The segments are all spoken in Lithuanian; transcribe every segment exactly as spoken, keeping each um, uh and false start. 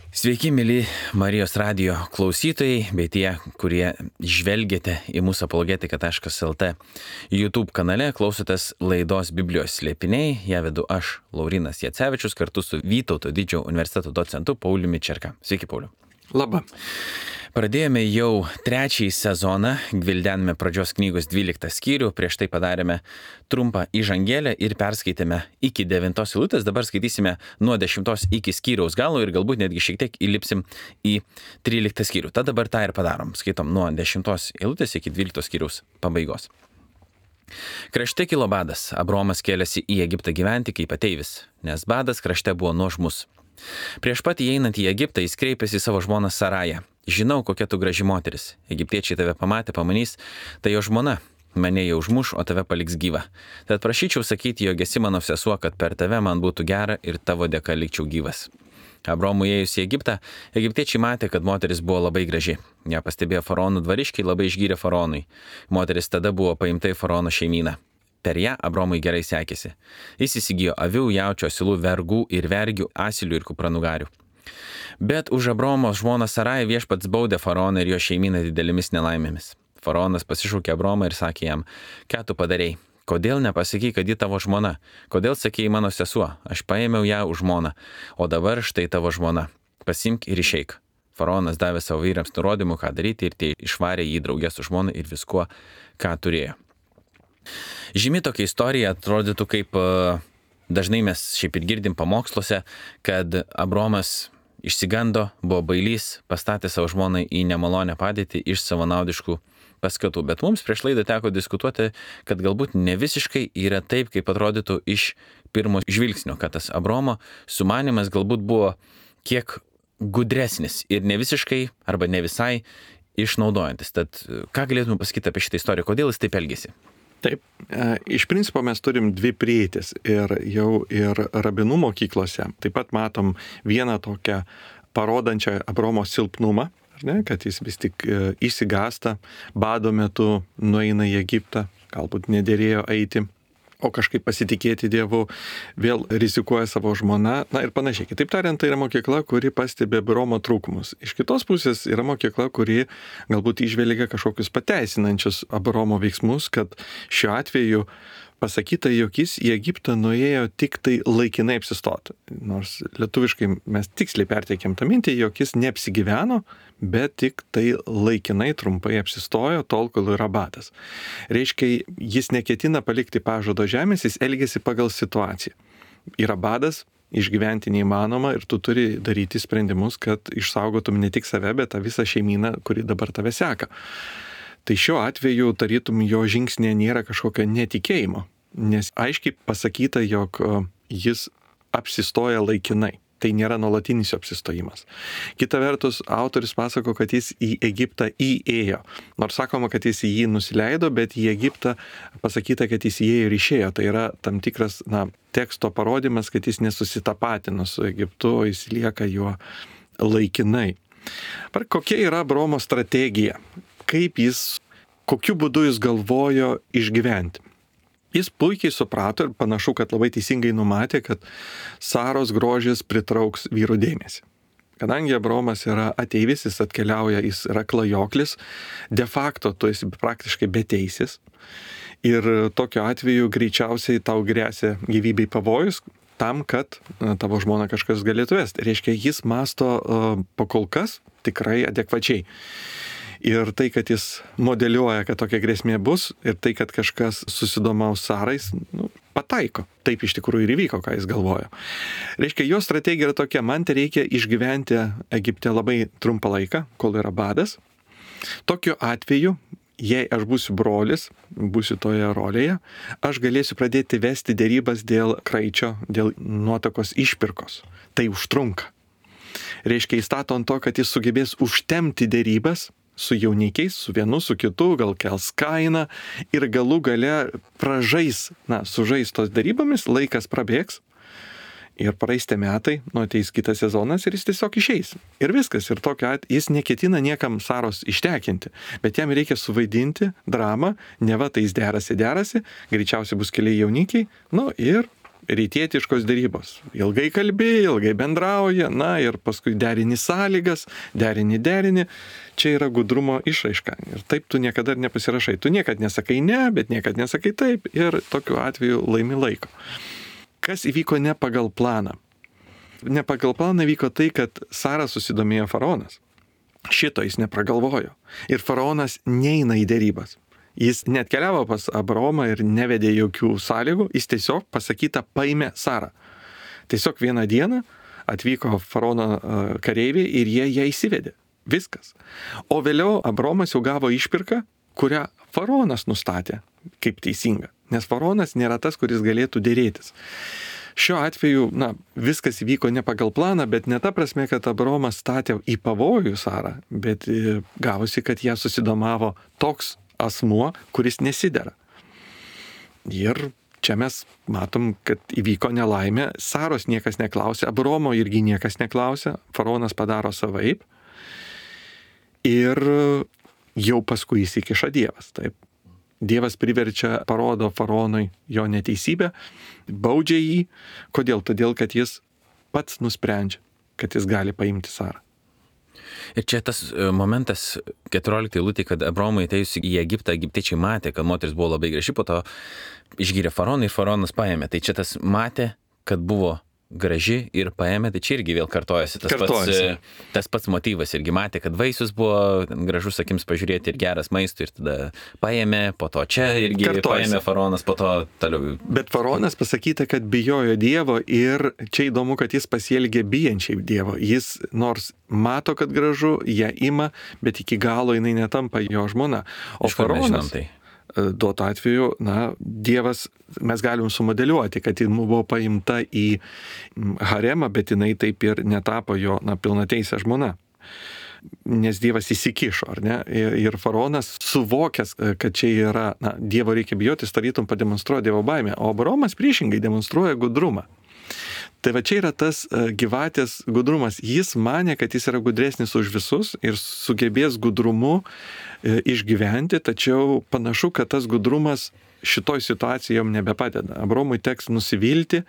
Sveiki, mėly Marijos radijo klausytojai, bei tie, kurie žvelgiate į mūsų apologetiką taškas lt YouTube kanale, klausotės laidos Biblijos slėpiniai. Ją vedu aš, Laurynas Jacevičius, kartu su Vytauto Didžiojo universiteto docentu Pauliumi Čerka. Sveiki, Pauliu. Labą. Pradėjome jau trečiąjį sezoną, gvildename pradžios knygos dvyliktą skyrių, prieš tai padarėme trumpą įžangėlę ir perskaitėme iki devintos eilutės, dabar skaitysime nuo dešimtos iki skyriaus galo ir galbūt netgi šiek tiek įlipsim į tryliktą skyrių. Tad dabar tą ir padarom, skaitom nuo dešimtos eilutės iki dvyliktos skyriaus pabaigos. Krašte kilo badas, Abromas kėlėsi į Egiptą gyventi kaip ateivis, nes badas krašte buvo nuožmus. Prieš pat įeinant į Egiptą jis kreipėsi į savo žmoną Sarają. Žinau, kokia tu graži moteris. Egiptiečiai tave pamatė, pamanys, tai jo žmona. Mane jau užmuš, o tave paliks gyvą. Tad prašyčiau sakyti, jog esi mano sesuo, kad per tave man būtų gera ir tavo dėka likčiau gyvas. Abromui įėjus į Egiptą, egiptiečiai matė, kad moteris buvo labai graži. Ją pastebėjo faraonų dvariškiai, labai išgyrė faraonui. Moteris tada buvo paimta į faraono šeimyną. Per ją Abromui gerai sekėsi. Jis įsigijo avių, jaučio, asilų, vergų ir vergių, asilių ir kupranugarių. Bet už Abromo žmoną Sarają viešpats baudė faraoną ir jo šeimyną didelėmis nelaimėmis. Faraonas pasišaukė Abromą ir sakė jam, ką tu padarei? Kodėl nepasakai, kad ji tavo žmona? Kodėl sakei mano sesuo? Aš paėmiau ją už žmoną, o dabar štai tavo žmona. Pasimk ir išeik. Faraonas davė savo vyrams nurodymų, ką daryti ir tie išvarė jį draugę su žmona ir viskuo, ką turėjo. Žymi tokia istorija atrodytų kaip dažnai mes šiaip ir girdim pamoksluose, kad Abromas išsigando, buvo bailys, pastatė savo žmoną į nemalonę padėtį iš savanaudiškų paskatų. Bet mums prieš laidą teko diskutuoti, kad galbūt ne visiškai yra taip, kaip atrodytų iš pirmo žvilgsnio, kad tas Abromo sumanimas galbūt buvo kiek gudresnis ir ne visiškai arba ne visai išnaudojantis. Tad ką galėtume pasakyti apie šitą istoriją, kodėl jis taip elgėsi? Taip, iš principo mes turim dvi prieitis ir jau ir rabinų mokyklose. Taip pat matom vieną tokią parodančią Abromo silpnumą, ar ne, kad jis vis tik išsigąsta, bado metu nueina į Egiptą, galbūt nedėrėjo eiti, o kažkaip pasitikėti Dievu, vėl rizikuoja savo žmoną, na ir panašiai. Kitaip tariant, tai yra mokykla, kuri pastebi Abromo trūkumus. Iš kitos pusės yra mokykla, kuri galbūt įžvelgia kažkokius pateisinančius Abromo veiksmus, kad šiuo atveju pasakyta, jog jis į Egiptą nuėjo tik tai laikinai apsistoti. Nors lietuviškai mes tiksliai perteikėm tą mintį, jog jis neapsigyveno, bet tik tai laikinai trumpai apsistojo, tol, kol yra badas. Reiškia, jis neketina palikti pažado žemės, jis elgėsi pagal situaciją. Yra badas, išgyventi neįmanoma ir tu turi daryti sprendimus, kad išsaugotum ne tik save, bet tą visą šeimyną, kuri dabar tave seka. Tai šiuo atveju tarytum jo žingsnė nėra kažkokio netikėjimo, nes aiškiai pasakyta, jog jis apsistoja laikinai. Tai nėra nuolatinis jo apsistojimas. Kita vertus, autoris pasako, kad jis į Egiptą įėjo. Nors sakoma, kad jis į jį nusileido, bet į Egiptą pasakyta, kad jis įėjo ir išėjo. Tai yra tam tikras na, teksto parodimas, kad jis nesusitapatino su Egiptu, o jis lieka juo laikinai. Par kokia yra Abromo strategija? Kaip jis, kokiu būdu jis galvojo išgyventi. Jis puikiai suprato ir panašu, kad labai teisingai numatė, kad Saros grožis pritrauks vyrų dėmesį. Kadangi Abromas yra ateivis, jis atkeliauja, jis yra klajoklis, de facto tu esi praktiškai beteisis ir tokiu atveju greičiausiai tau grėsia gyvybei pavojus tam, kad tavo žmona kažkas galėtų vesti. Reiškia, jis masto uh, pakol kas tikrai adekvačiai. Ir tai, kad jis modeliuoja, kad tokia grėsmė bus, ir tai, kad kažkas susidomaus Sarais, nu, pataiko. Taip iš tikrųjų ir įvyko, ką jis galvojo. Reiškia, jo strategija yra tokia, man tai reikia išgyventi Egipte labai trumpą laiką, kol yra badas. Tokiu atveju, jei aš būsiu brolis, būsiu toje rolėje, aš galėsiu pradėti vesti dėrybas dėl kraičio, dėl nuotakos išpirkos. Tai užtrunka. Reiškia, įstato ant to, kad jis sugebės užtemti dėrybas su jaunikiais, su vienu, su kitu, gal kels kainą ir galų gale pražais, na, sužais tos darybomis, laikas prabėgs ir praeis tie metai, nu ateis kitas sezonas ir jis tiesiog išeis. Ir viskas, ir tokiu atveju jis neketina niekam Saros ištekinti, bet jam reikia suvaidinti dramą, neva tai jis derasi, derasi, greičiausiai bus keli jaunikiai, nu ir rytietiškos dėrybos. Ilgai kalbėjai, ilgai bendrauja, na ir paskui derini sąlygas, derini derini. Čia yra gudrumo išraiška. Ir taip tu niekada ir nepasirašai. Tu niekad nesakai ne, bet niekad nesakai taip ir tokiu atveju laimi laiko. Kas įvyko ne pagal planą? Ne pagal planą vyko tai, kad Sara susidomėjo faraonas. Šito jis nepragalvojo. Ir faraonas neina į dėrybas. Jis net keliavo pas Abraomą ir nevedė jokių sąlygų, jis tiesiog pasakyta paėmė Sarą. Tiesiog vieną dieną atvyko faraono kareiviai ir jie ją įsivedė. Viskas. O vėliau Abraomas jau gavo išpirką, kurią faraonas nustatė kaip teisinga. Nes faraonas nėra tas, kuris galėtų dėrėtis. Šiuo atveju, na, viskas įvyko ne pagal planą, bet ne ta prasme, kad Abraomas statė į pavojų Sarą, bet gavosi, kad ją susidomavo toks asmuo, kuris nesidera. Ir čia mes matom, kad įvyko nelaimė, Saros niekas neklausė, Abraomo irgi niekas neklausė, faraonas padaro savaip ir jau paskui įsikiša Dievas. Taip. Dievas priverčia, parodo faraonui jo neteisybę, baudžia jį. Kodėl? Todėl, kad jis pats nusprendžia, kad jis gali paimti Sarą. Ir čia tas momentas keturioliktai eilutė, kad Abraomui atėjus į Egiptą, egiptiečiai matė, kad moteris buvo labai graži, po to išgyrė faraoną ir faraonas paėmė. Tai čia tas matė, kad buvo graži ir paėmė, tai čia irgi vėl kartojasi tas, kartojasi. Pats, tas pats motyvas. Irgi matė, kad vaisius buvo gražus akims pažiūrėti ir geras maistui ir tada paėmė, po to čia irgi kartojasi. Paėmė faraonas, po to toliau. Bet faraonas pasakyta, kad bijojo Dievo ir čia įdomu, kad jis pasielgė bijančiai Dievo. Jis nors mato, kad gražu, ją ima, bet iki galo jinai netampa jo žmona. O faraonas tai duotu atveju, na, Dievas, mes galim sumodeliuoti, kad ji buvo paimta į haremą, bet jinai taip ir netapo jo, na, pilnateisė žmona. Nes Dievas įsikišo, ar ne? Ir faraonas suvokęs, kad čia yra, na, Dievo reikia bijotis, tarytum pademonstruoja Dievo baimę, o Abraomas priešingai demonstruoja gudrumą. Tai va čia yra tas gyvatės gudrumas. Jis manė, kad jis yra gudresnis už visus ir sugebės gudrumu išgyventi, tačiau panašu, kad tas gudrumas šitoj situacijai jam nebepadeda. Abraomui teks nusivilti,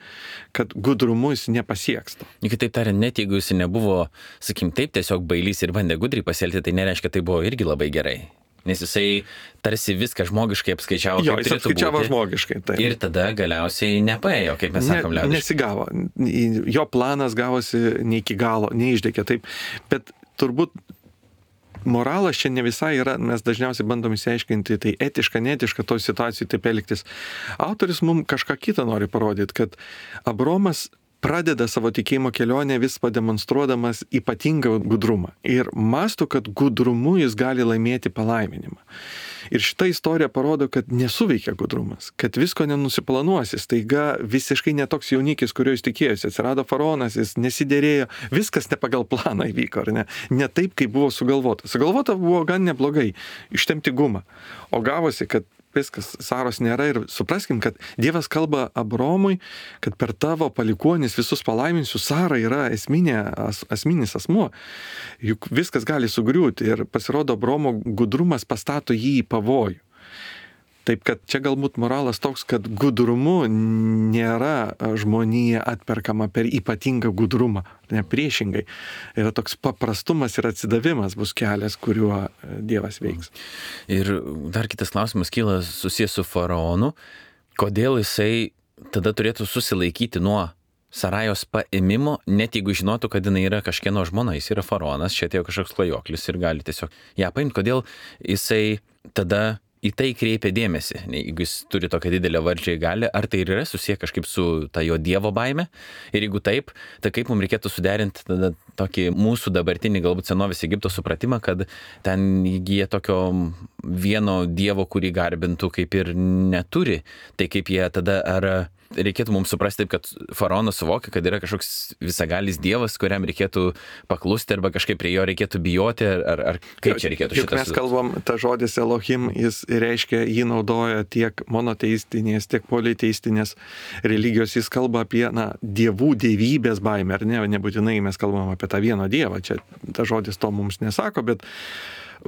kad gudrumu jis nepasieks to. Kitaip tariant, net jeigu jis nebuvo, sakim, taip tiesiog bailys ir bandė gudriai pasielgti, tai nereiškia, tai buvo irgi labai gerai. Nes jisai tarsi viską žmogiškai apskaičiavo. Jo, jis apskaičiavo būti, žmogiškai. Taip. Ir tada galiausiai nepaėjo, kaip mes sakom, liaudiškai. Ne, nesigavo. Jo planas gavosi ne iki galo, neišdėkė. Taip. Bet turbūt moralas čia ne visai yra, mes dažniausiai bandom įsiaiškinti, tai etiška, neetiška toj situacijai taip elgtis. Autoris mums kažką kitą nori parodyti, kad Abraomas pradeda savo tikėjimo kelionę vis pademonstruodamas ypatingą gudrumą. Ir mąsto, kad gudrumu jis gali laimėti palaiminimą. Ir šita istorija parodo, kad nesuveikia gudrumas, kad visko nenusiplanuosi. Staiga visiškai netoks jaunikis, kurio jis tikėjosi. Atsirado faraonas, jis nesiderėjo, viskas ne pagal planą įvyko, ar ne? Ne taip, kaip buvo sugalvota. Sugalvota buvo gan neblogai, ištempti gumą. O gavosi, kad viskas, Saros nėra ir supraskim, kad Dievas kalba Abraomui, kad per tavo palikuonis visus palaiminsiu, Sara yra esminė, as, asminis asmuo, juk viskas gali sugriūti ir pasirodo Abraomo gudrumas pastato jį į pavojų. Taip, kad čia galbūt moralas toks, kad gudrumu nėra žmonija atperkama per ypatingą gudrumą, ne priešingai. Yra toks paprastumas ir atsidavimas bus kelias, kuriuo Dievas veiks. Ir dar kitas klausimas kyla susijęs su faraonu. Kodėl jisai tada turėtų susilaikyti nuo Sarajos paėmimo, net jeigu žinotų, kad jinai yra kažkieno žmona, jis yra faraonas, čia atėjo kažkoks klajoklis ir gali tiesiog ją paimti. Kodėl jisai tada į tai kreipia dėmesį, jeigu jis turi tokią didelę valdžią į gali, ar tai ir yra susiję kažkaip su ta jo Dievo baime? Ir jeigu taip, tai kaip mums reikėtų suderinti tada tokį mūsų dabartinį galbūt senovės Egipto supratimą, kad ten jie tokio vieno Dievo, kurį garbintų, kaip ir neturi. Tai kaip jie tada, ar reikėtų mums suprasti taip, kad faraonas suvokia, kad yra kažkoks visagalis Dievas, kuriam reikėtų paklusti arba kažkaip prie jo reikėtų bijoti, ar, ar kaip čia reikėtų šitas? Juk mes kalbam, ta žodis Elohim, jis reiškia, jį naudoja tiek monoteistinės, tiek politeistinės religijos, jis kalba apie, na, dievų dievybės baimę, ar ne, nebūtinai mes kalbam apie tą vieną Dievą, čia ta žodis to mums nesako, bet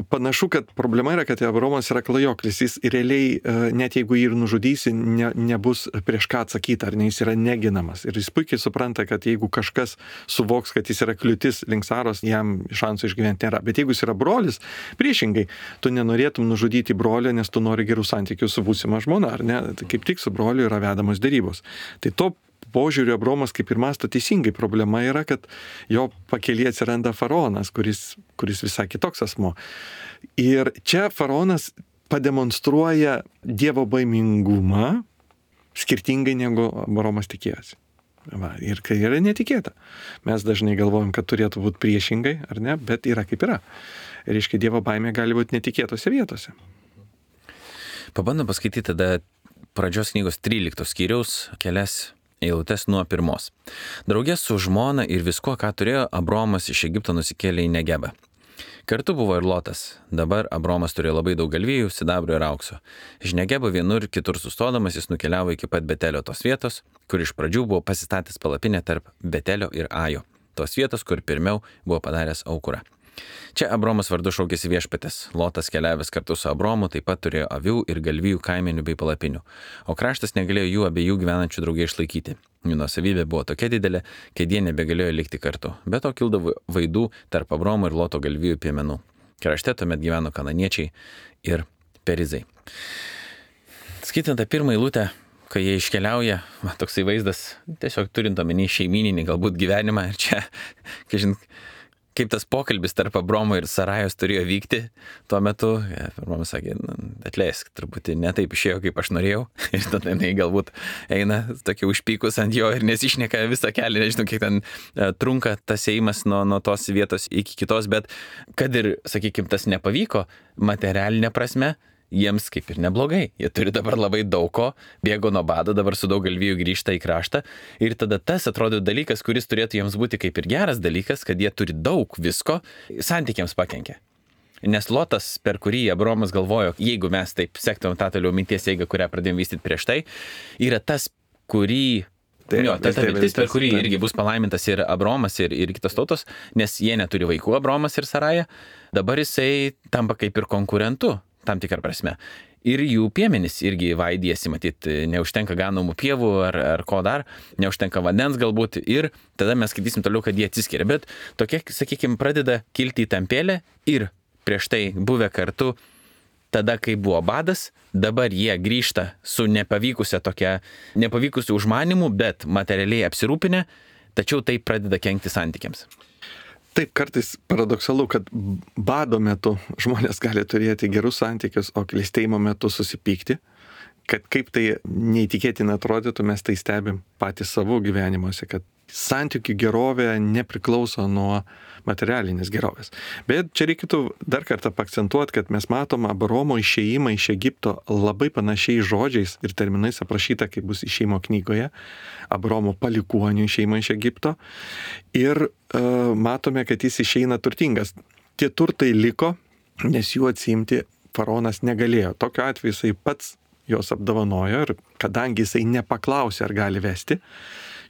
Panašu, kad problema yra, kad Abraomas yra klajoklis. Jis realiai, net jeigu jį ir nužudysi, ne, nebus prieš ką atsakyti, ar ne, jis yra neginamas. Ir jis puikiai supranta, kad jeigu kažkas suvoks, kad jis yra kliūtis link Saros, jam šansų išgyventi nėra. Bet jeigu jis yra brolis, priešingai, tu nenorėtum nužudyti brolio, nes tu nori gerų santykių su būsima žmona, ar ne? Tai kaip tik su broliu yra vedamos dėrybos. Tai to požiūriu Abraomas kaip ir mąsto teisingai. Problema yra, kad jo pakelyje atsiranda faraonas, kuris, kuris visai kitoks asmo. Ir čia faraonas pademonstruoja Dievo baimingumą skirtingai negu Abraomas tikėjosi. Va, ir kai yra netikėta. Mes dažnai galvojam, kad turėtų būti priešingai, ar ne, bet yra kaip yra. Ir reiškia, Dievo baimė gali būti netikėtose vietose. Pabandom paskaityti tada pradžios knygos tryliktos skyriaus kelias eilutes nuo pirmos. Draugė su žmona ir viskuo, ką turėjo, Abraomas iš Egipto nusikėlė į Negebą. Kartu buvo ir Lotas. Dabar Abraomas turėjo labai daug galvijų, sidabro ir aukso. Iš Negebo vienur kitur sustodamas jis nukeliavo iki pat Betelio, tos vietos, kur iš pradžių buvo pasistatęs palapinę tarp Betelio ir Ajo. Tos vietos, kur pirmiau buvo padaręs aukurą. Čia Abraomas vardu šaukėsi viešpatės. Lotas keliavęs kartu su Abraomu taip pat turėjo avių ir galvijų kaimenių bei palapinių. O kraštas negalėjo jų abiejų gyvenančių draugiai išlaikyti. Jų nuosavybė buvo tokia didelė, kad jie nebegalėjo likti kartu. Be to kildavo vaidų tarp Abraomo ir Loto galvijų piemenų. Krašte tuomet gyveno kananiečiai ir perizai. Skaitant tą pirmą eilutę, kai jie iškeliauja, man toksai vaizdas, tiesiog turint omeny šeimininį galbūt gyvenimą ir čia, kai žinai, kaip tas pokalbis tarp Abraomo ir Sarajos turėjo vykti tuo metu. Abraomas sakė, atleisk, truputį ne taip išėjo, kaip aš norėjau. Ir tada jinai galbūt eina tokia užpykus ant jo ir nesišneka visą kelią, nežinau, kiek ten trunka tas ėjimas nuo, nuo tos vietos iki kitos, bet kad ir, sakykime, tas nepavyko materialinė prasme, jiems kaip ir neblogai. Jie turi dabar labai daug ko, bėgo nuo bado, dabar su daug galvijų grįžta į kraštą. Ir tada tas atrodo dalykas, kuris turėtų jiems būti kaip ir geras dalykas, kad jie turi daug visko, santykiams pakenkia. Nes Lotas, per kurį Abraomas galvojo, jeigu mes taip sektumėm tą toliau minties eigą, kurią pradėjom vystyti prieš tai, yra tas, kurį... Tai, jo, ta, ta viltis, per kurį irgi bus palaimintas ir Abraomas, ir, ir kitos tautos, nes jie neturi vaikų, Abraomas ir Saraja. Dabar jisai tampa kaip ir konkurentu, tam tikrą prasme. Ir jų piemenys irgi vaidėsi, matyt, neužtenka ganomų pievų ar, ar ko dar, neužtenka vandens galbūt, ir tada mes skaitysim toliau, kad jie atsiskiria. Bet tokia, sakykime, pradeda kilti įtampėlė ir prieš tai buvę kartu, tada, kai buvo badas, dabar jie grįžta su nepavykusia tokia, nepavykusiu užmanimu, bet materialiai apsirūpinę, tačiau tai pradeda kenkti santykiams. Taip, kartais paradoksalu, kad bado metu žmonės gali turėti gerus santykius, o klestėjimo metu susipykti, kad kaip tai neįtikėtina atrodytų, mes tai stebim patys savo gyvenimuose, kad santykių gerovė nepriklauso nuo materialinės gerovės. Bet čia reikėtų dar kartą paakcentuoti, kad mes matom Abraomo išėjimą iš Egipto labai panašiais žodžiais ir terminais aprašyta, kaip bus išėjimo knygoje, Abraomo palikuonių išėjimą iš Egipto. Ir uh, matome, kad jis išeina turtingas. Tie turtai liko, nes jų atsiimti faraonas negalėjo. Tokiu atveju jisai pats jos apdovanojo ir kadangi jisai nepaklausė, ar gali vesti,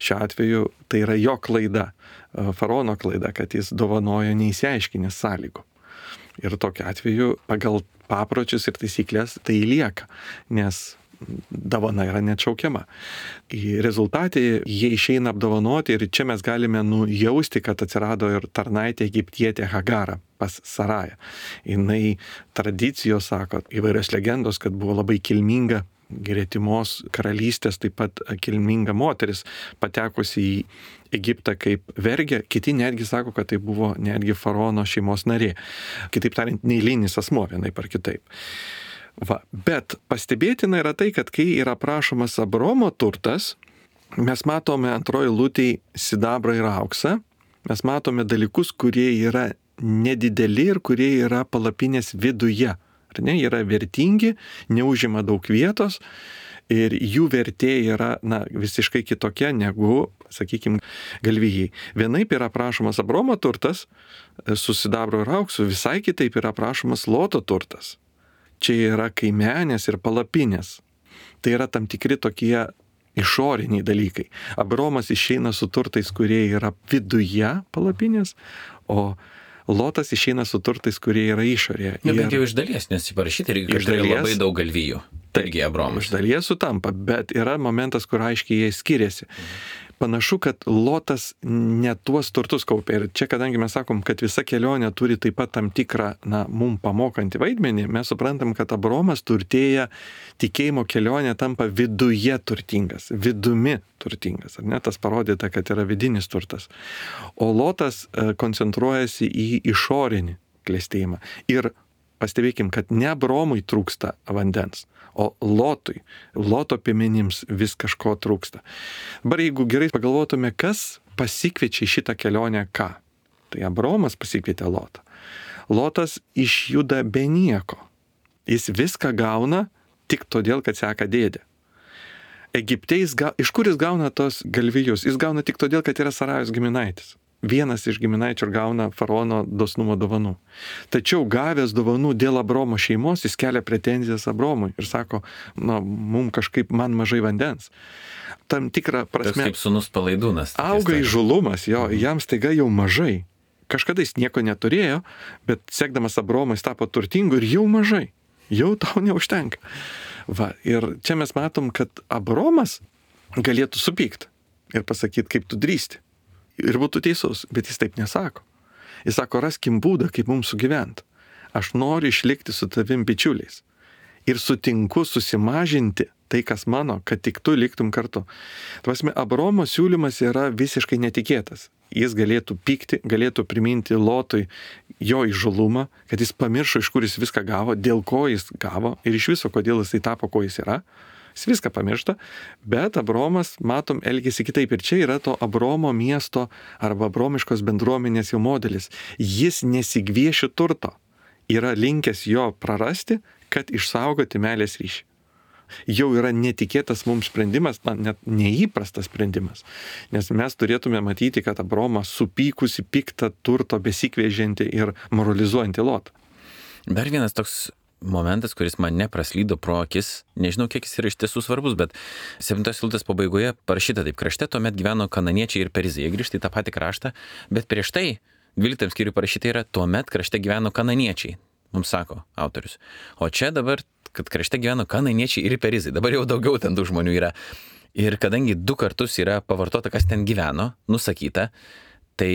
šiuo atveju tai yra jo klaida, faraono klaida, kad jis dovanojo neįsiaiškinęs sąlygų. Ir tokiu atveju pagal papročius ir taisyklės tai lieka, nes dovana yra neatšaukiama. Į rezultatį jie išeina apdovanoti ir čia mes galime nujausti, kad atsirado ir tarnaitė egiptietė Hagara pas Sarają. Jinai tradicijos sako, įvairios legendos, kad buvo labai kilminga gretimos karalystės, taip pat kilminga moteris, patekusi į Egiptą kaip vergė. Kiti netgi sako, kad tai buvo netgi faraono šeimos narė. Kitaip tariant, neeilinis asmuo vienaip ar kitaip. Va. Bet pastebėtina yra tai, kad kai yra prašomas Abraomo turtas, mes matome antroji eilutėj sidabrą ir auksą, mes matome dalykus, kurie yra nedideli ir kurie yra palapinės viduje. Ar ne, yra vertingi, neužima daug vietos ir jų vertė yra na, visiškai kitokia negu, sakykime, galvijai. Vienaip yra prašomas Abraomo turtas su sidabro ir auksu, visai kitaip yra prašomas Loto turtas. Čia yra kaimenės ir palapinės. Tai yra tam tikri tokie išoriniai dalykai. Abraomas išeina su turtais, kurie yra viduje palapinės, o Lotas išeina su turtais, kurie yra išorėje. Na, bent jau iš dalies, nes įparašyti reikia, kad turėjo labai daug galvijų. Taigi Abromas. Iš dalies sutampa, bet yra momentas, kur aiškiai jie skiriasi. Panašu, kad Lotas ne tuos turtus kaupė. Ir čia, kadangi mes sakom, kad visa kelionė turi taip pat tam tikrą, na, mum pamokantį vaidmenį, mes suprantam, kad Abromas turtėja, tikėjimo kelionė tampa viduje turtingas, vidumi turtingas. Ar ne? Tas parodyta, kad yra vidinis turtas. O Lotas koncentruojasi į išorinį klestėjimą. Ir pastebėkim, kad ne Abromui trūksta vandens, o Lotui, Loto piemenims vis kažko trūksta. Dabar jeigu gerai pagalvotume, kas pasikviečia šitą kelionę ką? Tai Abromas pasikvietė Lotą. Lotas išjuda be nieko. Jis viską gauna tik todėl, kad seka dėdė. Egipte jis ga... iš kur jis gauna tos galvijus? Jis gauna tik todėl, kad yra Sarajos giminaitis. Vienas iš giminaičių ir gauna faraono dosnumo dovanų. Tačiau gavęs dovanų dėl Abromo šeimos, jis kelia pretenzijas Abromui ir sako, na, mum kažkaip man mažai vandens. Tam tikrą prasme... Tas kaip sūnus palaidūnas. Auga įžulumas, jo, jam staiga jau mažai. Kažkada jis nieko neturėjo, bet sekdamas Abromą jis tapo turtingu ir jau mažai. Jau tau neužtenka. Va, ir čia mes matom, kad Abromas galėtų supykti ir pasakyti, kaip tu drįsti. Ir būtų teisus, bet jis taip nesako. Jis sako, raskim būdą, kaip mums sugyventi. Aš noriu išlikti su tavim bičiuliais. Ir sutinku susimažinti tai, kas mano, kad tik tu liktum kartu. Tvasme, Abromo siūlymas yra visiškai netikėtas. Jis galėtų pykti, galėtų priminti Lotui jo įžulumą, kad jis pamiršo, iš kur jis viską gavo, dėl ko jis gavo ir iš viso, kodėl jis tapo, ko jis yra. Jis viską pamiršta, bet Abromas, matom, elgėsi kitaip. Ir čia yra to Abromo miesto arba abromiškos bendruomenės jau modelis. Jis nesigvieši turto. Yra linkęs jo prarasti, kad išsaugoti meilės ryšį. Jau yra netikėtas mums sprendimas, na, net neįprastas sprendimas. Nes mes turėtume matyti, kad Abromas supykusi, piktą turto besikvėžianti ir moralizuojanti Lotą. Dar vienas toks momentas, kuris man nepraslydo pro akis, nežinau, kiek jis yra iš tiesų svarbus, bet septintos eilutės pabaigoje parašyta taip, krašte tuomet gyveno kananiečiai ir perizai. Jie grįžta į tą patį kraštą, bet prieš tai dvyliktam skyriui parašyta yra tuomet krašte gyveno kananiečiai, mums sako autorius. O čia dabar, kad krašte gyveno kananiečiai ir perizai, dabar jau daugiau ten tų žmonių yra. Ir kadangi du kartus yra pavartota, kas ten gyveno, nusakyta, tai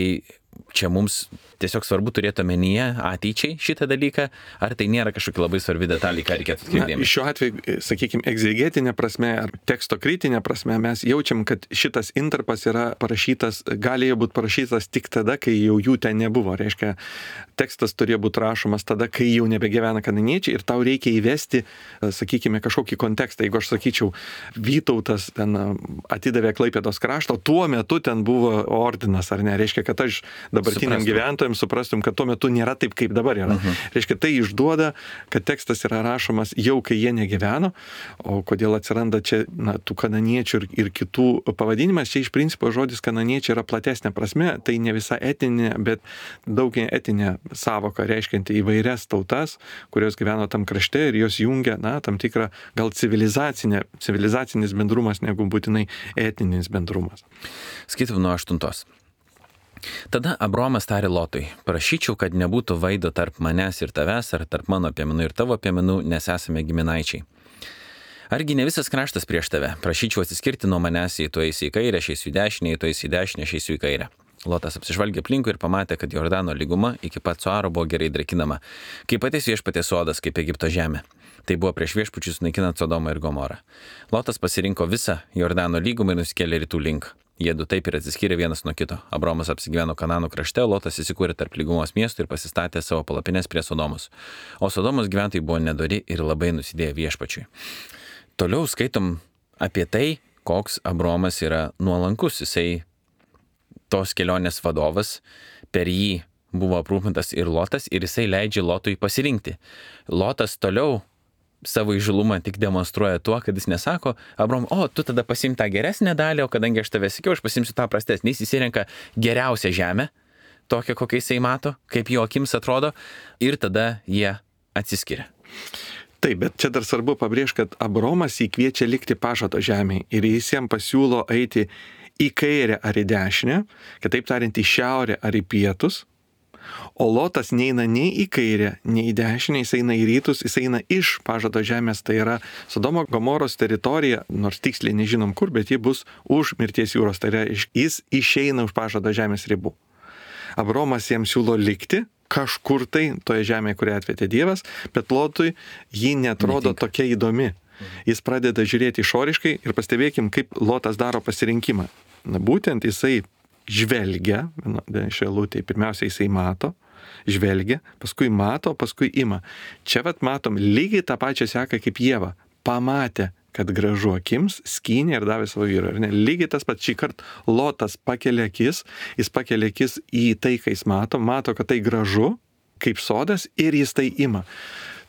čia mums tiesiog svarbu turėti omenyje ateičiai šitą dalyką, ar tai nėra kažkokia labai svarbi detalė, ką reikėtų atkreipti dėmesį? Šiuo atveju, sakykime, egzegetinė prasme ar teksto kritinė prasme mes jaučiam, kad šitas intarpas yra parašytas, galėjo būti parašytas tik tada, kai jau jų ten nebuvo. Reiškia, tekstas turėjo būti rašomas tada, kai jau nebegyvena kananiečiai ir tau reikia įvesti, sakykime, kažkokį kontekstą. Jeigu aš sakyčiau, Vytautas ten atidavė Klaipėdos kraštą, tuo metu ten buvo ordinas, ar ne? Reiškia, kad aš dabartiniam gyventojams suprastum, kad tuo metu nėra taip, kaip dabar yra. Uh-huh. Reiškia, tai išduoda, kad tekstas yra rašomas jau, kai jie negyveno, o kodėl atsiranda čia, na, tų kananiečių ir, ir kitų pavadinimas, čia iš principo žodis kananiečiai yra platesnė prasme, tai ne visa etinė, bet daug etinė savoka, reiškianti įvairias tautas, kurios gyveno tam krašte ir jos jungia, na, tam tikrą gal civilizacinė, civilizacinis bendrumas, negu būtinai etinis bendrumas. Skaitom nuo aštuntos. Tada Abromas tarė Lotui, prašyčiau, kad nebūtų vaido tarp manęs ir tavęs, ar tarp mano piemenų ir tavo piemenų, nes esame giminaičiai. Argi ne visas kraštas prieš tave? Prašyčiau atsiskirti nuo manęs, jei tu eisi į kairę, aš eisiu į dešinę, jei tu eisi į dešinę, aš eisiu į kairę. Lotas apsižvalgė aplinkui ir pamatė, kad Jordano lyguma iki pat Suaro buvo gerai drekinama, kaip patys viešpaties sodas, kaip Egipto žemė. Tai buvo prieš viešpačius naikinant Sodomą ir Gomorą. Lotas pasirinko visą Jordano lygumą ir nusikėlė rytų link. Jie du taip ir atsiskyrė vienas nuo kito. Abromas apsigyveno Kananų krašte, Lotas įsikūrė tarp lygumos miestų ir pasistatė savo palapines prie Sodomos. O Sodomos gyventojai buvo nedori ir labai nusidėjo viešpačiui. Toliau skaitom apie tai, koks Abromas yra nuolankus. Jisai tos kelionės vadovas, per jį buvo aprūpintas ir Lotas ir jisai leidžia Lotui pasirinkti. Lotas toliau savo įžulumą tik demonstruoja tuo, kad jis nesako, Abrom, o, tu tada pasimti tą geresnę dalį, o kadangi aš tave sakiau, aš pasimsiu tą prastesnį. Jis įsirenka geriausią žemę, tokią, kokią jisai mato, kaip jo akims atrodo, ir tada jie atsiskiria. Taip, bet čia dar svarbu pabrėžti, kad Abromas jį kviečia likti pažado žemėje ir jis jam pasiūlo eiti į kairę ar į dešinę, kitaip tariant, į šiaurę ar į pietus, O Lotas neina nei į kairę, nei į dešinę, jis eina į rytus, jis eina iš pažado žemės, tai yra Sodomo Gomoros teritorija, nors tiksliai nežinom kur, bet ji bus už mirties jūros, tai yra jis išeina už pažado žemės ribų. Abromas jam siūlo likti kažkur tai toje žemėje, kurią atvedė Dievas, bet Lotui ji netrodo Netinka. Tokia įdomi. Jis pradeda žiūrėti išoriškai ir pastebėkim, kaip Lotas daro pasirinkimą. Na, būtent jisai žvelgia, šioje eilutėje, pirmiausia jisai mato, žvelgia, paskui mato, paskui ima. Čia vat matom lygiai tą pačią seką kaip Ieva. Pamatė, kad gražu akims, skynė ir davė savo vyrą. Lygiai tas pats šį kartą Lotas pakelia akis, jis pakelia akis į tai, ką jis mato, mato, kad tai gražu, kaip sodas, ir jis tai ima.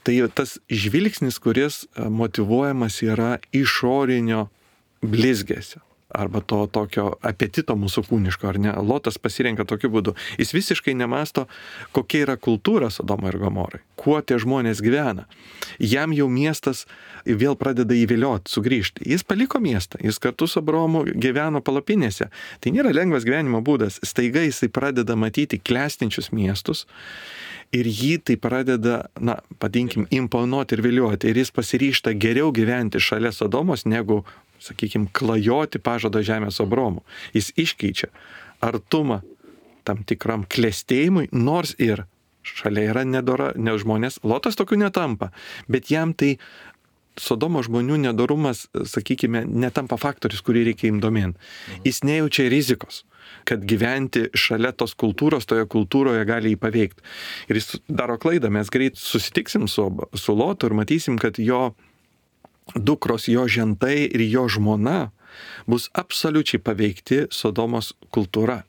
Tai tas žvilgsnis, kuris motyvuojamas yra išorinio blizgesio arba to tokio apetito mūsų kūniško, ar ne? Lotas pasirenka tokiu būdu. Jis visiškai nemasto, kokia yra kultūra Sodomai ir Gomorai, kuo tie žmonės gyvena. Jam jau miestas vėl pradeda įvilioti, sugrįžti. Jis paliko miestą, jis kartu su Abromu gyveno palapinėse. Tai nėra lengvas gyvenimo būdas. Staiga jisai pradeda matyti klestinčius miestus ir jį tai pradeda, na, padinkim, imponuoti ir viliuoti. Ir jis pasiryžta geriau gyventi šalia Sodomos negu, sakykime, klajoti pažado žemės Abromu. Jis iškeičia artumą tam tikram klestėjimui, nors ir šalia yra nedora, ne žmonės. Lotas tokių netampa, bet jam tai Sodomo žmonių nedorumas, sakykime, netampa faktorius, kurį reikia imdomien. Jis nejaučia rizikos, kad gyventi šalia tos kultūros, toje kultūroje gali jį paveikti. Ir jis daro klaidą, mes greit susitiksim su, su Lotu ir matysim, kad jo dukros, jo žentai ir jo žmona bus absoliučiai paveikti Sodomos kultūra.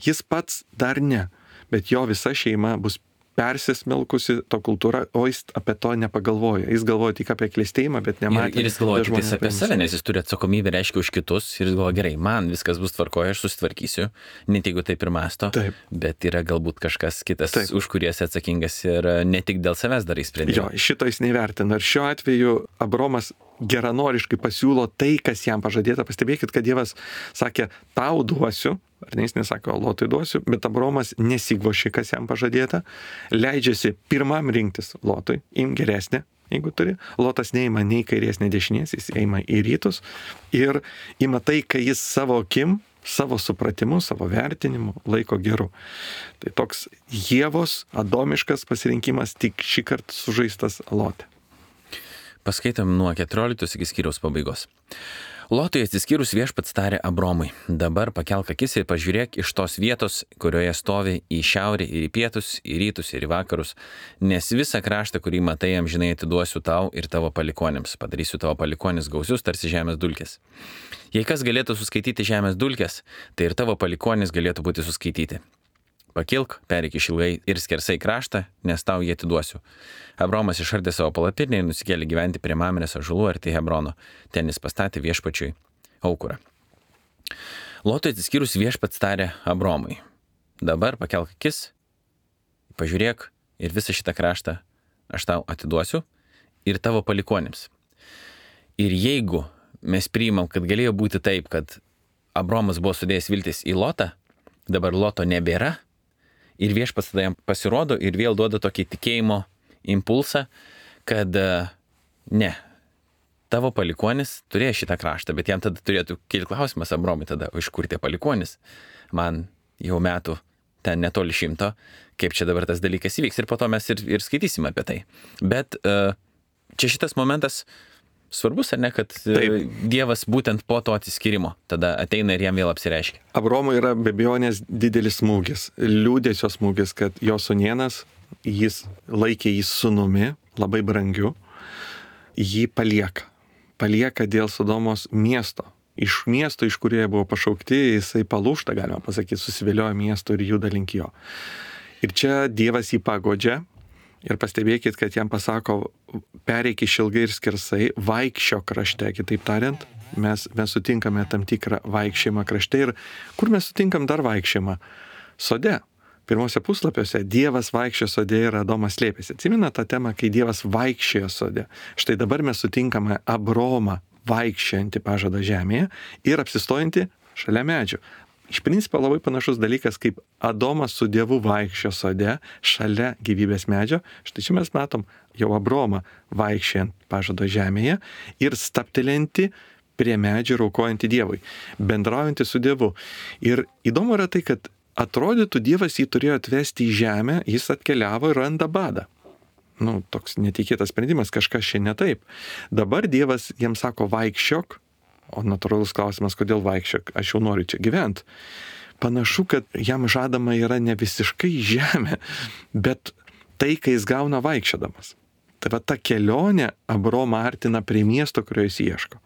Jis pats dar ne, bet jo visa šeima bus persismelkusi to kultūra, o jis apie to nepagalvoja. Jis galvoja tik apie klestėjimą, bet nematė. Ir, ir jis galvoja tik apie save, nes jis turi atsakomybę, reiškia, už kitus. Ir jis galvoja, gerai, man viskas bus tvarkoje, aš susitvarkysiu, net jeigu taip ir masto. Taip. Bet yra galbūt kažkas kitas, taip, už kurį esi atsakingas ir ne tik dėl savęs darai sprendimą. Jo, šito jis nevertina. Ir šiuo atveju Abromas geranoriškai pasiūlo tai, kas jam pažadėta. Pastebėkit, kad Dievas sakė, tau duosiu, ar ne, jis nesako, Lotui duosiu, bet Abromas nesigvoši, kas jam pažadėta, leidžiasi pirmam rinktis Lotui, im geresnė, jeigu turi. Lotas neima nei kairės, nei dešinės, jis eina į rytus ir ima tai, kai jis savo akim, savo supratimu, savo vertinimu laiko geru. Tai toks Ievos adomiškas pasirinkimas, tik šį kartą sužaistas Lote. Paskaitom nuo keturioliktos iki skyriaus pabaigos. Lotui atsiskyrus viešpats tarė Abromui, dabar pakelk akis ir pažiūrėk iš tos vietos, kurioje stovi į šiaurę ir į pietus, į rytus ir į vakarus, nes visą kraštą, kurį matai, amžinai atiduosiu tau ir tavo palikonėms, padarysiu tavo palikonis gausius tarsi žemės dulkės. Jei kas galėtų suskaityti žemės dulkės, tai ir tavo palikonis galėtų būti suskaityti. Pakilk, pereik išilgai ir skersai kraštą, nes tau jį atiduosiu. Abromas išardė savo palapinę ir nusikėlė gyventi prie Mamrės ąžuolų arti Hebrono. Ten jis pastatė viešpačiui aukurą. Lotui atsiskyrus viešpats tarė Abromui, dabar pakelk akis, pažiūrėk ir visą šitą kraštą aš tau atiduosiu ir tavo palikonim. Ir jeigu mes priimam, kad galėjo būti taip, kad Abromas buvo sudėjęs viltis į Lotą, dabar Loto nebėra, ir viešpats tada jam pasirodo ir vėl duoda tokį tikėjimo impulsą, kad ne, tavo palikonis turėjo šitą kraštą, bet jam tada turėtų kilti klausimas Abromui tada, iš kur tie palikonis? Man jau metų ten netoli šimto, kaip čia dabar tas dalykas įvyks ir po to mes ir, ir skaitysim apie tai. Bet čia šitas momentas svarbus, ar ne, kad Taip. Dievas būtent po to atsiskyrimo tada ateina ir jam vėl apsireiškia. Abromui yra be abejonės didelis smūgis, liūdėsio smūgis, kad jo sūnėnas, jis laikė jį sūnumi, labai brangiu, jį palieka. Palieka dėl Sodomos miesto. Iš miesto, iš kurie buvo pašaukti, jisai palūšta, galima pasakyti, susivilioja miesto ir juda link jo. Ir čia Dievas jį pagodžia. Ir pastebėkit, kad jam pasako, pereik išilgai ir skersai, vaikščio krašte, kitaip tariant, mes, mes sutinkame tam tikrą vaikščiojimą krašte. Ir kur mes sutinkam dar vaikščiojimą? Sode. Pirmose puslapiuose Dievas vaikščiojo sode ir Adomas slėpėsi. Atsimena tą temą, kai Dievas vaikščiojo sode. Štai dabar mes sutinkame Abromą vaikščiojantį pažado žemėje ir apsistojantį šalia medžių. iš principo labai panašus dalykas, kaip Adomas su Dievu vaikščio sode šalia gyvybės medžio. Štai čia mes matom jau Abromą vaikščiant pažado žemėje ir staptelenti prie medžio ir aukojantį Dievui, bendraujantį su Dievu. Ir įdomu yra tai, kad atrodytų Dievas jį turėjo atvesti į žemę, jis atkeliavo ir randa badą. Nu, toks netikėtas sprendimas, kažkas čia ne taip. Dabar Dievas jiems sako vaikščiok, o natūralus klausimas, kodėl vaikščiok, aš jau noriu čia gyventi. Panašu, kad jam žadama yra ne visiškai žemė, bet tai, kai jis gauna vaikščiodamas. Tai va ta kelionė Abromą artina prie miesto, kurio jis ieško.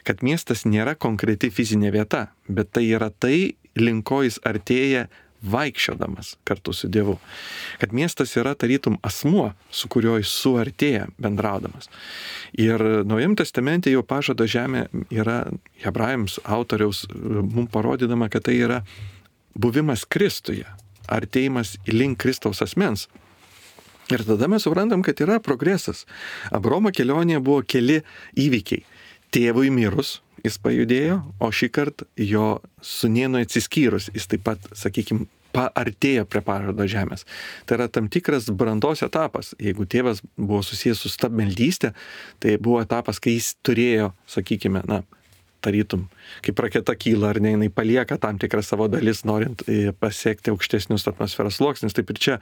Kad miestas nėra konkreti fizinė vieta, bet tai yra tai, link ko jis artėja vaikščiodamas kartu su Dievu. Kad miestas yra tarytum asmuo, su kuriuo jis suartėja bendraudamas. Ir Naujam testamente jau pažado žemė yra hebrajams autoriaus mums parodydama, kad tai yra buvimas Kristuje, artėjimas link Kristaus asmens. Ir tada mes suprantam, kad yra progresas. Abromo kelionėje buvo keli įvykiai. Tėvui mirus jis pajudėjo, o šį kartą jo sūnėnui atsiskyrus jis taip pat, sakykime, paartėjo prie pažado žemės. Tai yra tam tikras brandos etapas. Jeigu tėvas buvo susijęs su stabmeldystė, tai buvo etapas, kai jis turėjo, sakykime, na, tarytum, kaip raketa kyla, ar ne, jinai palieka tam tikrą savo dalis, norint pasiekti aukštesnius atmosferos sluoksnius. Taip ir čia,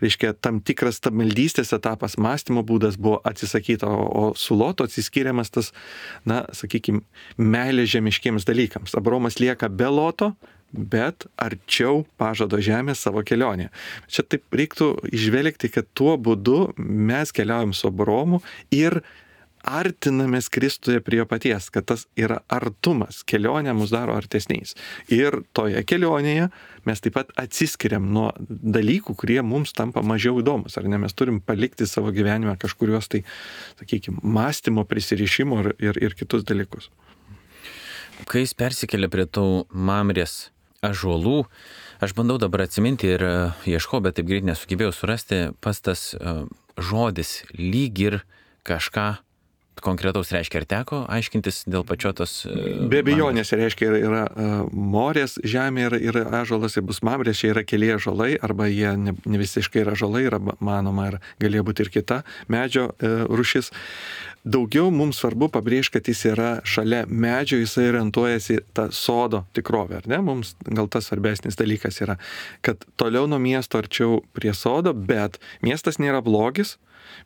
reiškia, tam tikras stabmeldystės etapas, mąstymo būdas buvo atsisakyta, o, o su Lotu atsiskiriamas tas, na, sakykime, meilė žemiškiems dalykams. Abromas lieka be Loto, bet arčiau pažado žemės savo kelionė. Čia taip reiktų išvelgti, kad tuo būdu mes keliaujam su Abromu ir artinamės Kristuje prie jo paties, kad tas yra artumas, kelionė mus daro artesniais. Ir toje kelionėje mes taip pat atsiskiriam nuo dalykų, kurie mums tampa mažiau įdomus, ar ne, mes turim palikti savo gyvenime kažkuriuos tai, sakykime, mąstymo, prisirišimo ir, ir, ir kitus dalykus. Kai jis persikėlė prie tų Mamrės ąžuolų, aš bandau dabar atsiminti ir ieškau, bet taip greit nesugebėjau surasti, pas tas uh, žodis lyg ir kažką konkretaus reiškia, ar teko aiškintis dėl pačio tos... Be abejonės reiškia, yra, yra uh, morės žemė ir, ir ąžuolas, ir bus Mamrės, čia yra keli ąžuolai, arba jie ne, ne visiškai yra ąžuolai, yra manoma, ir galėjo būti ir kita medžio uh, rūšis. Daugiau mums svarbu pabrėžti, kad jis yra šalia medžio, jisai orientuojasi tą sodo tikrovę, ar ne? Mums gal tas svarbesnis dalykas yra, kad toliau nuo miesto arčiau prie sodo, bet miestas nėra blogis.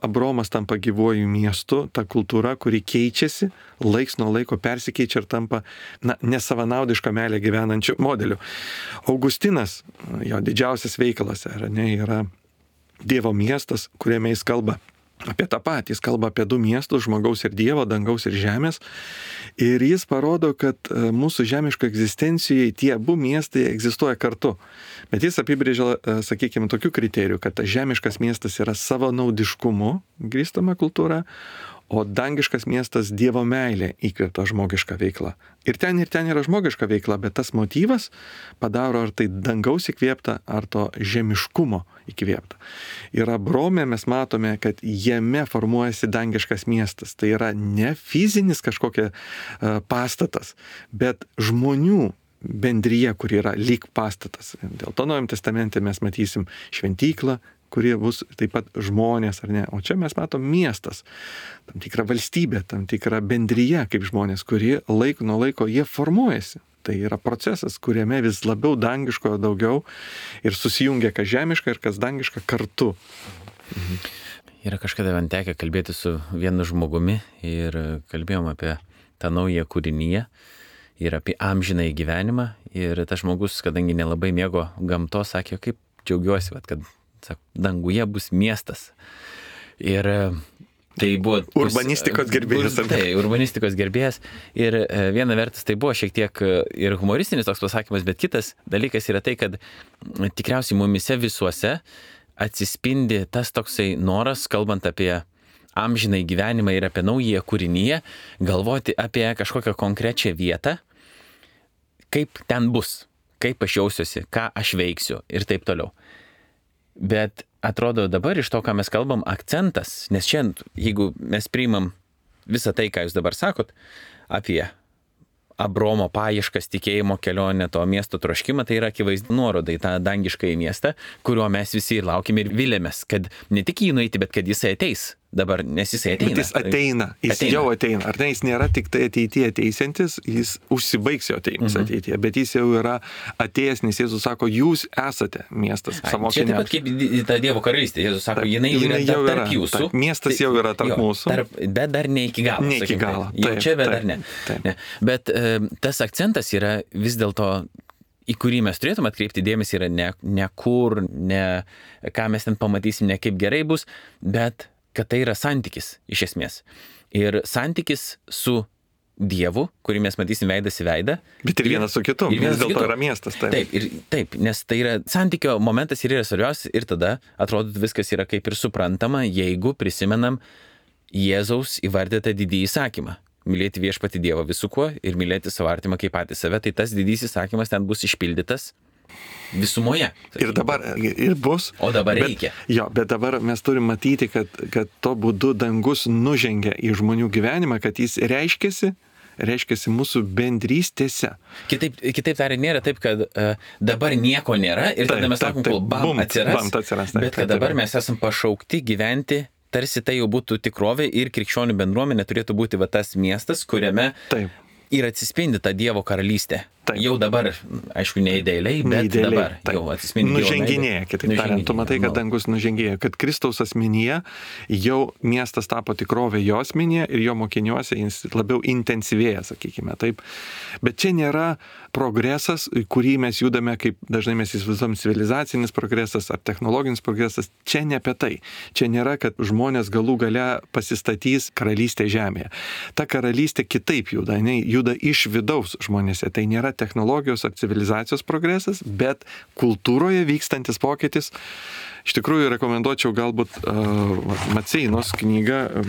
Abromas tampa gyvuoju miestu, ta kultūra, kuri keičiasi, laiks nuo laiko persikeičia ir tampa, na, nesavanaudišką meilę gyvenančių modelių. Augustinas, jo didžiausias veikalas, ar ne, yra Dievo miestas, kuriame jis kalba apie tą patį, jis kalba apie du miestus, žmogaus ir Dievo, dangaus ir žemės. Ir jis parodo, kad mūsų žemiško egzistencijoje tie abu miestai egzistuoja kartu. Bet jis apibrėžia, sakykime, tokių kriterijų, kad žemiškas miestas yra savanaudiškumu grįstama kultūra, o dangiškas miestas Dievo meilė įkvėpta žmogiška veikla. Ir ten ir ten yra žmogiška veikla, bet tas motyvas padaro ar tai dangaus įkvėpta, ar to žemiškumo įkvėpta. Ir Abrome mes matome, kad jame formuojasi dangiškas miestas. Tai yra ne fizinis kažkokia uh, pastatas, bet žmonių bendryje, kuri yra lyg pastatas. Dėl to Naujam testamente mes matysim šventyklą, kurie bus taip pat žmonės, ar ne? O čia mes matom miestas, tam tikrą valstybę, tam tikrą bendryje kaip žmonės, kurie laiko nuo laiko jie formuojasi. Tai yra procesas, kuriame vis labiau dangiško daugiau ir susijungia kas žemiška ir kas dangiška kartu. Mhm. Yra kažkada man tekę kalbėti su vienu žmogumi ir kalbėjom apie tą naują kūrinyje ir apie amžinąjį gyvenimą. Ir tas žmogus, kadangi nelabai mėgo gamtos, sakė, kaip džiaugiuosi, kad sako, danguje bus miestas. Ir tai buvo... Urbanistikos gerbėjas. Tai, urbanistikos gerbėjas. Ir viena vertus tai buvo šiek tiek ir humoristinis toks pasakymas, bet kitas dalykas yra tai, kad tikriausiai mumise visuose atsispindi tas toksai noras, kalbant apie amžinai gyvenimą ir apie naują kūrinyje, galvoti apie kažkokią konkrečią vietą, kaip ten bus, kaip aš jausiuosi, ką aš veiksiu ir taip toliau. Bet atrodo dabar iš to, ką mes kalbam, akcentas, nes šiandien, jeigu mes priimam visą tai, ką jūs dabar sakot, apie Abromo paieškas, tikėjimo kelionę, to miesto troškimą, tai yra akivaizdi nuoroda į tą dangiškąjį miestą, kurio mes visi ir laukime ir vilėmės, kad ne tik jį nueiti, bet kad jisai ateis. Dabar, nes jisai ateina. Bet jis ateina, jis ateina. jau ateina. Ar ne, jis nėra tik tai ateityje ateisiantis, jis užsibaigs jo ateinis mhm. ateityje, bet jis jau yra atėjęs, nes Jėzus sako, jūs esate miestas savo mokiniams. Čia taip pat kaip ta Dievo karalystė, Jėzus sako, jinai, jinai yra jau tarp yra, jūsų. Tarp, miestas jau yra tarp jo, mūsų. Tarp, bet dar ne iki galo. Ne iki galo. Taip, jau čia, bet taip, dar ne. ne. Bet e, tas akcentas yra vis dėlto, į kurį mes turėtume atkreipti dėmesį, yra ne, ne kur, ne ką mes ten pamatysim, ne kaip gerai bus, bet kad tai yra santykis iš esmės. Ir santykis su Dievu, kurį mes matysim veidas į veidą. Bet ir vienas su kitu, vis dėlto yra miestas. Taip. Taip, ir, taip, nes tai yra santykio momentas ir yra svarbiausias ir tada atrodo viskas yra kaip ir suprantama, jeigu prisimenam Jėzaus įvardytą didįjį įsakymą. Mylėti viešpatį Dievą visų kuo ir mylėti savo artimą kaip patį save, tai tas didysis įsakymas ten bus išpildytas visumoje. Ir dabar ir bus. O dabar bet, reikia. Jo, bet dabar mes turim matyti, kad, kad to būdu dangus nužengia į žmonių gyvenimą, kad jis reiškiasi, reiškiasi mūsų bendrystėse. Kitaip, kitaip tariant, nėra taip, kad uh, dabar nieko nėra ir taip, tada mes sakom, kol bam bum, atsiras, bam, atsiras taip, bet kad taip, dabar taip. mes esam pašaukti gyventi, tarsi tai jau būtų tikrovė ir krikščionių bendruomenė turėtų būti va tas miestas, kuriame taip. Ir atsispindi ta Dievo karalystė. Taip. Jau dabar, aišku, ne idealiai, bet idealiai, dabar taip. Jau atsispindi. Nuženginėja, kitaip tariant, tu matai, kad dangus nužengėja, kad Kristaus asmenyje jau miestas tapo tikrovė jo asmenyje ir jo mokiniuose jis labiau intensyvėja, sakykime, taip. Bet čia nėra progresas, kurį mes judame, kaip dažnai mes įsivaizduojam, civilizacinis progresas ar technologinis progresas. Čia ne apie tai. Čia nėra, kad žmonės galų gale pasistatys karalystę žemėje. Ta karalystė kitaip juda, jinai juda iš vidaus žmonėse. Tai nėra technologijos ar civilizacijos progresas, bet kultūroje vykstantis pokytis. Iš tikrųjų, rekomenduočiau galbūt uh, Maceinos knygą.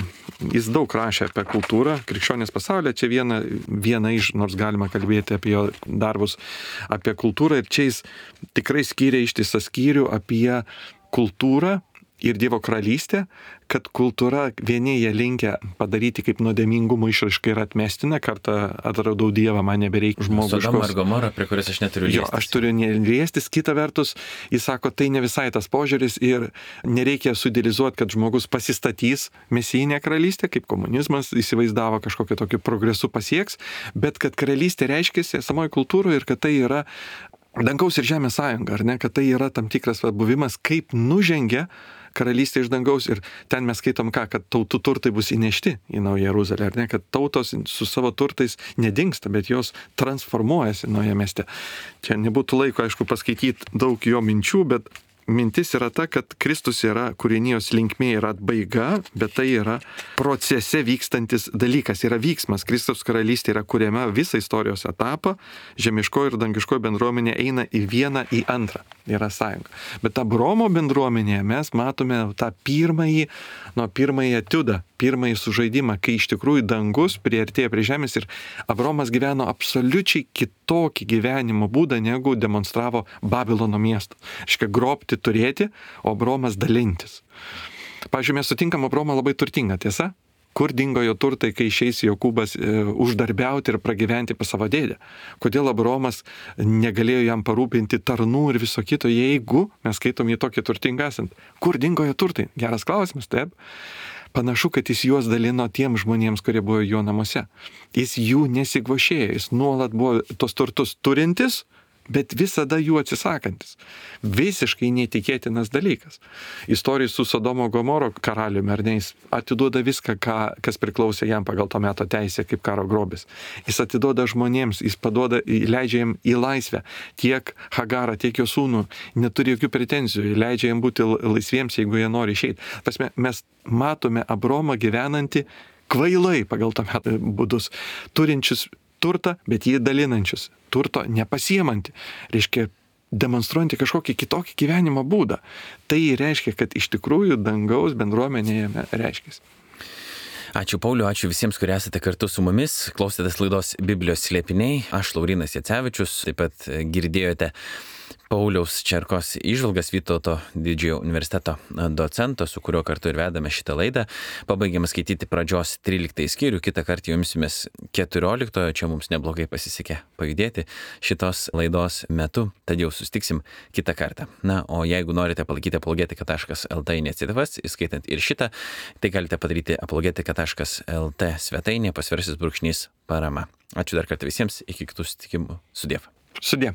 Jis daug rašė apie kultūrą, krikščionės pasaulyje. Čia viena, viena iš, nors galima kalbėti apie jo darbus, apie kultūrą. Ir čia jis tikrai skyrė ištisą skyrių apie kultūrą ir Dievo karalystė, kad kultūra vieni jie linkia padaryti kaip nuodėmingumo išraišką ir atmestina, kartą atradau Dievą, man nebereikia žmogiškos. Sodoma ir Gomora, prie kurios aš neturiu liestis. Jo, aš turiu liestis, kita vertus, jis sako, tai ne visai tas požiūris ir nereikia sudėlizuoti, kad žmogus pasistatys mesijinę karalystę, kaip komunizmas įsivaizdavo kažkokiu tokiu progresu pasieks, bet kad karalystė reiškiasi esamoje kultūroje ir kad tai yra dangaus ir žemės sąjunga, ar ne, kad tai yra tam tikras buvimas, kaip nužengia karalystė iš dangaus ir ten mes skaitom ką, kad tautų turtai bus įnešti į Naują Jeruzalę, ar ne, kad tautos su savo turtais nedingsta, bet jos transformuojasi Naują mieste. Čia nebūtų laiko, aišku, paskaityti daug jo minčių, bet mintis yra ta, kad Kristus yra kūrinijos linkmė, yra atbaiga, bet tai yra procese vykstantis dalykas, yra vyksmas. Kristaus karalystė yra kuriama visą istorijos etapą, žemiškoji ir dangiškoji bendruomenė eina į vieną, į antrą, yra sąjunga. Bet Abromo bendruomenėje mes matome tą pirmąjį, nuo pirmąjį etiudą, pirmąjį sužaidimą, kai iš tikrųjų dangus priartėja prie žemės ir Abromas gyveno absoliučiai kitokį gyvenimo būdą, negu demonstravo Babilono miestas. Reiškia, grobti turėti, o Abromas dalintis. Pavyzdžiui, mes sutinkam Abromą labai turtingą, tiesa? Kur dingo jo turtai, kai išeis Jokūbas e, uždarbiauti ir pragyventi pas savo dėdę? Kodėl Abromas negalėjo jam parūpinti tarnų ir viso kito, jeigu mes skaitom jį tokį turtingą esant? Kur dingo jo turtai? Geras klausimas, taip? Panašu, kad jis juos dalino tiem žmonėms, kurie buvo jo namuose. Jis jų nesigvošėjo, jis nuolat buvo tos turtus turintis, bet visada jų atsisakantis. Visiškai neįtikėtinas dalykas. Istorija su Sodomo Gomoro karaliumi, ar ne, jis atiduoda viską, ką, kas priklausė jam pagal to meto teisę kaip karo grobis. Jis atiduoda žmonėms, jis paduoda, leidžia jam į laisvę tiek Hagarą, tiek jo sūnų, neturi jokių pretenzijų, leidžia jam būti laisviems, jeigu jie nori išeiti. Pasme, mes matome Abromą gyvenantį kvailai pagal to meto būdus, turinčius turtą, bet jį dalinančius. Turto nepasiemantį. Reiškia, demonstruojantį kažkokį kitokį gyvenimo būdą. Tai reiškia, kad iš tikrųjų dangaus bendruomenėje reiškia. Ačiū Pauliu, ačiū visiems, kurie esate kartu su mumis. Klausėtės laidos Biblijos slėpiniai. Aš Laurynas Jacevičius. Taip pat girdėjote Pauliaus Čerkos įžvalgas, Vytauto didžiojo universiteto docento, su kuriuo kartu ir vedame šitą laidą. Pabaigiam skaityti pradžios tryliktąjį skyrių, kitą kartą jau imsimės keturioliktojo, čia mums neblogai pasisekė pajudėti šitos laidos metu, tad jau sustiksim kitą kartą. Na, o jeigu norite palaikyti apologetika taškas el tė iniciatyvas, įskaitant ir šitą, tai galite padaryti apologetika taškas el tė svetainėje pasversis brūkšnys parama. Ačiū dar kartą visiems, iki kitų susitikimų. Sudiev. Sudie.